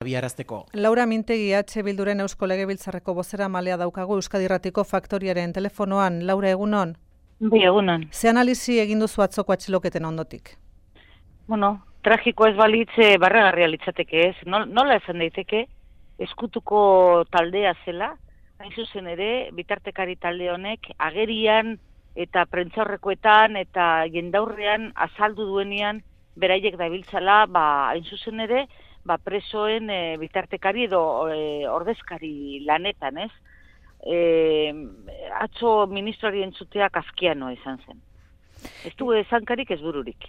abiarazteko. Laura Mintegi Bilduren Eusko Legebiltzarreko bozeramalea daukagu Euskadi Irratiko Faktoriaren telefonoan. Laura, egunon? Bai, egunon. Ze analisi egin duzu atzoko atxiloketen ondotik? Bueno, tragiko ez balitze barregarria litzateke ez. Nola esan daiteke, eskutuko taldea zela, hain zuzen ere, bitartekari talde honek agerian eta prentzaurrekoetan eta jendaurrean azaldu duenean beraiek dabiltzala, hain zuzen ere, presoen bitartekari edo ordezkari lanetan, ez? Atzo ministroari entzuteak azkianoa izan zen. Ez du ezankarik ez bururik.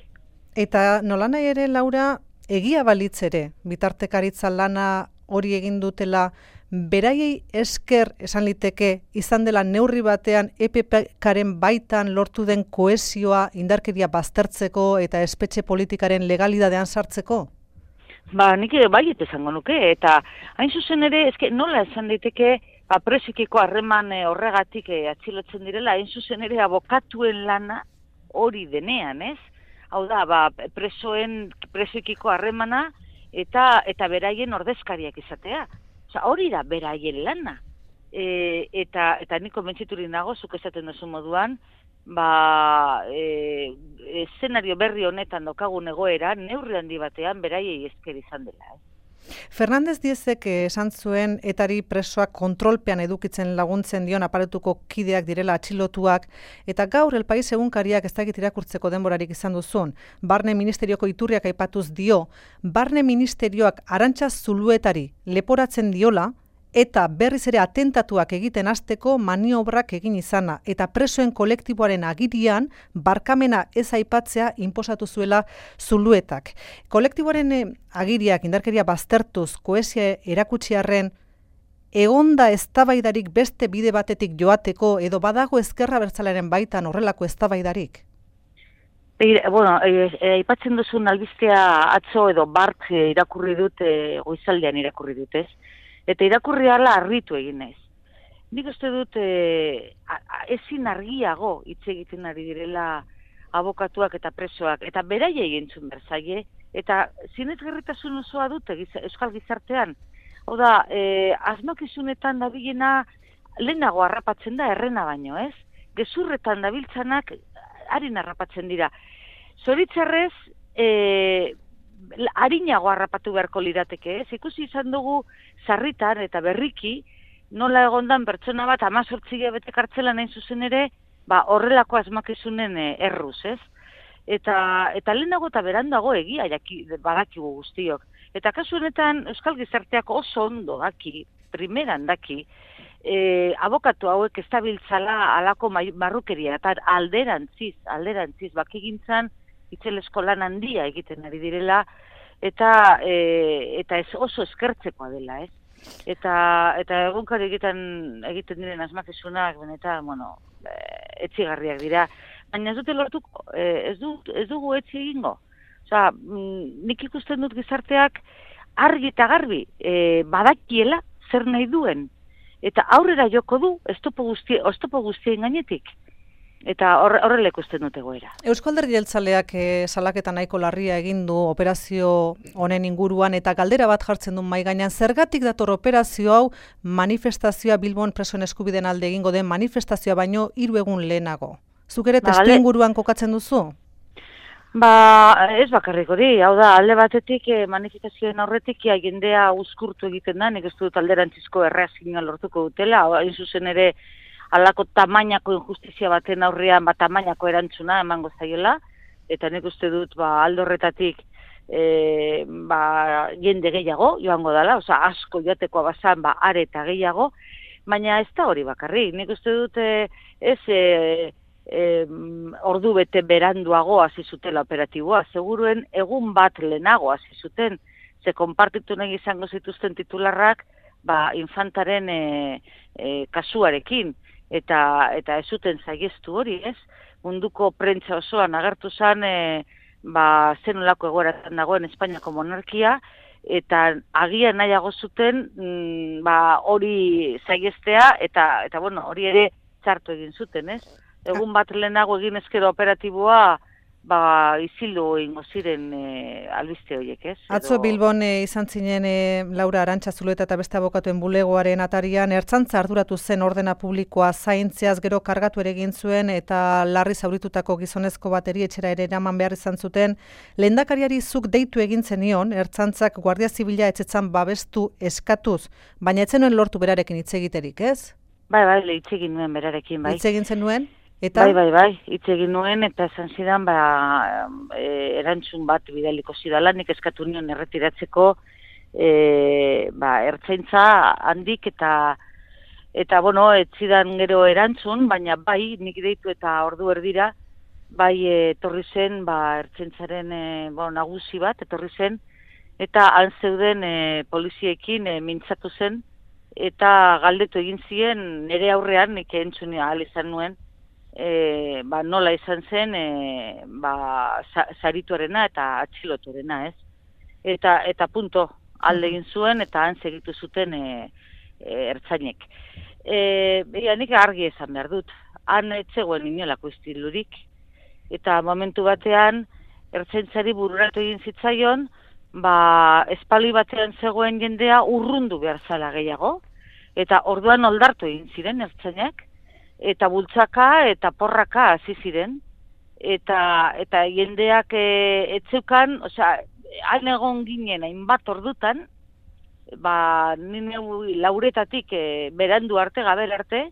Eta nolanahi ere, Laura, egia balitz ere, bitartekaritza lana hori egin dutela, beraiei esker esan liteke izan dela neurri batean EPP-karen baitan lortu den kohesioa indarkeria baztertzeko eta espetxe politikaren legalidadean sartzeko? Nik baiet esango nuke, eta hain zuzen ere, nola esan daiteke presikiko harreman horregatik atxilotzen direla, hain zuzen ere abokatuen lana hori denean, ez? Hau da, presikiko harremana eta beraien ordezkariak izatea. Hori da beraien lana. Eta niko mentziturik nago, zuk esaten duzu moduan, eszenario berri honetan daukagun egoera, neurri handi batean beraiei esker izan dela. Fernández Diezek esan zuen etari presoak kontrolpean edukitzen laguntzen dion aparatuko kideak direla atxilotuak, eta gaur El País egunkariak ez dakit irakurtzeko denborarik izan duzun, Barne Ministerioko iturriak aipatuz dio, Barne Ministerioak Arantxa Zuluetari leporatzen diola, eta berriz ere atentatuak egiten hasteko maniobrak egin izana, eta presoen kolektiboaren agirian barkamena ez aipatzea inposatu zuela Zuluetak. Kolektiboaren agiriak indarkeria baztertuz kohesia erakutsi arren, egonda eztabaidarik beste bide batetik joateko edo badago ezkerra abertzalearen baitan horrelako eztabaidarik? Aipatzen duzun albistea atzo edo bart irakurri dut, goizaldean irakurri dut, ez? Eta irakurri ala harritu egin naiz. Nik uste dut ezin argiago hitz egiten ari direla abokatuak eta presoak, eta beraia egintzun berzaie, eta zinezgarritasun osoa dute euskal gizartean. Hau da, asmakizunetan dabilena lehenago harrapatzen da errena baino, ez? Gezurretan dabiltzanak harin harrapatzen dira. Zoritzarrez, harinago harrapatu beharko lirateke, ez? Ikusi izan dugu sarritan eta berriki, nola egondan pertsona bat 18 hilabete kartzelan hain zuzen ere, horrelako asmakizunen erruz, ez? Eta lehenago eta berandago egia badakigu guztiok. Eta kasu honetan euskal gizarteak oso ondo daki, primeran daki, abokatu hauek ez dabiltzala alako marrukeria, eta alderantziz, bakigintzan, itzelesko lan handia egiten ari direla, eta ez oso eskertzekoa dela, ez? Eta egunkari egiten diren asmakizunak, benetan, etxigarriak dira. Baina ez dute lortuko, ez dugu etxi egingo. Nik ikusten dut gizarteak argi eta garbi badakiela zer nahi duen. Eta aurrera joko du, oztopo guztien gainetik. Eta horrela ikusten dut egoera. Eusko Alderdi Jeltzaleak salaketa nahiko larria egin du operazio honen inguruan, eta galdera bat jartzen du mahai gainean, zergatik dator operazio hau manifestazioa Bilbon presoen eskubideen alde egingo den manifestazioa baino 3 egun lehenago. Zuk ere testu inguruan kokatzen duzu? Ez bakarrik hori, hau da, alde batetik manifestazioen aurretik jendea uzkurtu egiten da, nik ez dut alderantzizko erreakzioa lortuko dutela, hain zuzen ere halako tamainako injustizia baten aurrean, tamainako erantzuna emango zaiola, eta nik uste dut alde horretatik jende gehiago joango dela, asko joatekoa bazan, are eta gehiago, baina ez da hori bakarrik, nik uste dut ordu bete beranduago hasi zutela operatiboa, seguruen egun bat lehenago hasi zuten, ze konpartitu nahi izango zituzten titularrak infantaren kasuarekin, eta ez zuten zaieztu hori, ez? Munduko prentza osoan agertu zen zenolako egoeratan dagoen Espainiako monarkia, eta agian nahiago zuten hori zaieztea, eta hori ere txartu egin zuten, ez? Egun bat lehenago egin ezkero operatiboa izildu ingo ziren albiste horiek, ez? Atzo Bilbon izan zinen Laura Arantxa Zuleta eta beste abokatuen bulegoaren atarian, ertzaintza arduratu zen ordena publikoa zaintzeaz gero kargatu ere egin zuen eta larri zauritutako gizonezko bat etxera ere eraman behar izan zuten. Lehendakariari zuk deitu egin zenion, ertzaintzak Guardia Zibila etxetzan babestu eskatuz, baina ez zenuen lortu berarekin hitz egiterik, ez? Bai, hitz egin nuen berarekin, bai. Hitz egin zenuen? Eta? Bai, hitz egin nuen eta esan zidan, erantzun bat bidaliko zidala, nik eskatu nion erretiratzeko ertzaintza handik eta ez zidan gero erantzun, baina bai, nik deitu eta ordu erdira, bai etorri zen, ertzaintzaren nagusi bat, etorri zen, eta han zeuden poliziekin mintzatu zen, eta galdetu egin ziren, nire aurrean, nik entzun ahal izan nuen, nola izan zen sarituarena eta atxilotuarena, ez? Eta punto, alde egin zuen eta han segitu zuten ertzainek. Nik argi esan behar dut, han etzegoen inolako istilurik, eta momentu batean ertzaintzari bururatu egin zitzaion, espali batean zegoen jendea urrundu behar zala gehiago, eta orduan oldartu egin ziren ertzainek, eta bultzaka eta porraka hasi ziren, eta jendeak etzeukan, han egon ginen hainbat ordutan, nire lauretatik berandu arte, gabel arte,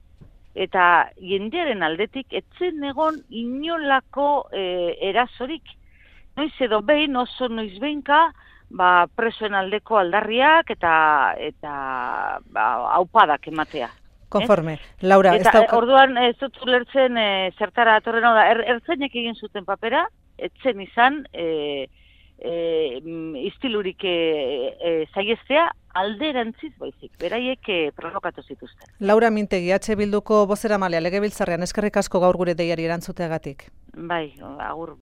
eta jendearen aldetik etzen egon inolako erasorik. Noiz edo behin, oso noiz behinka, presoen aldeko aldarriak eta aupadak ematea. Konforme. Laura, orduan ez dut ulertzen zertara atorren hau da, ertzainek egin zuten papera, etzen izan istilurik zaiestea alderantziz baizik, beraiek provokatu zituzten. Laura Mintegi, Bilduko bozeramalea legebiltzarrean, eskerrik asko gaur gure deiari erantzuteagatik. Bai, agur.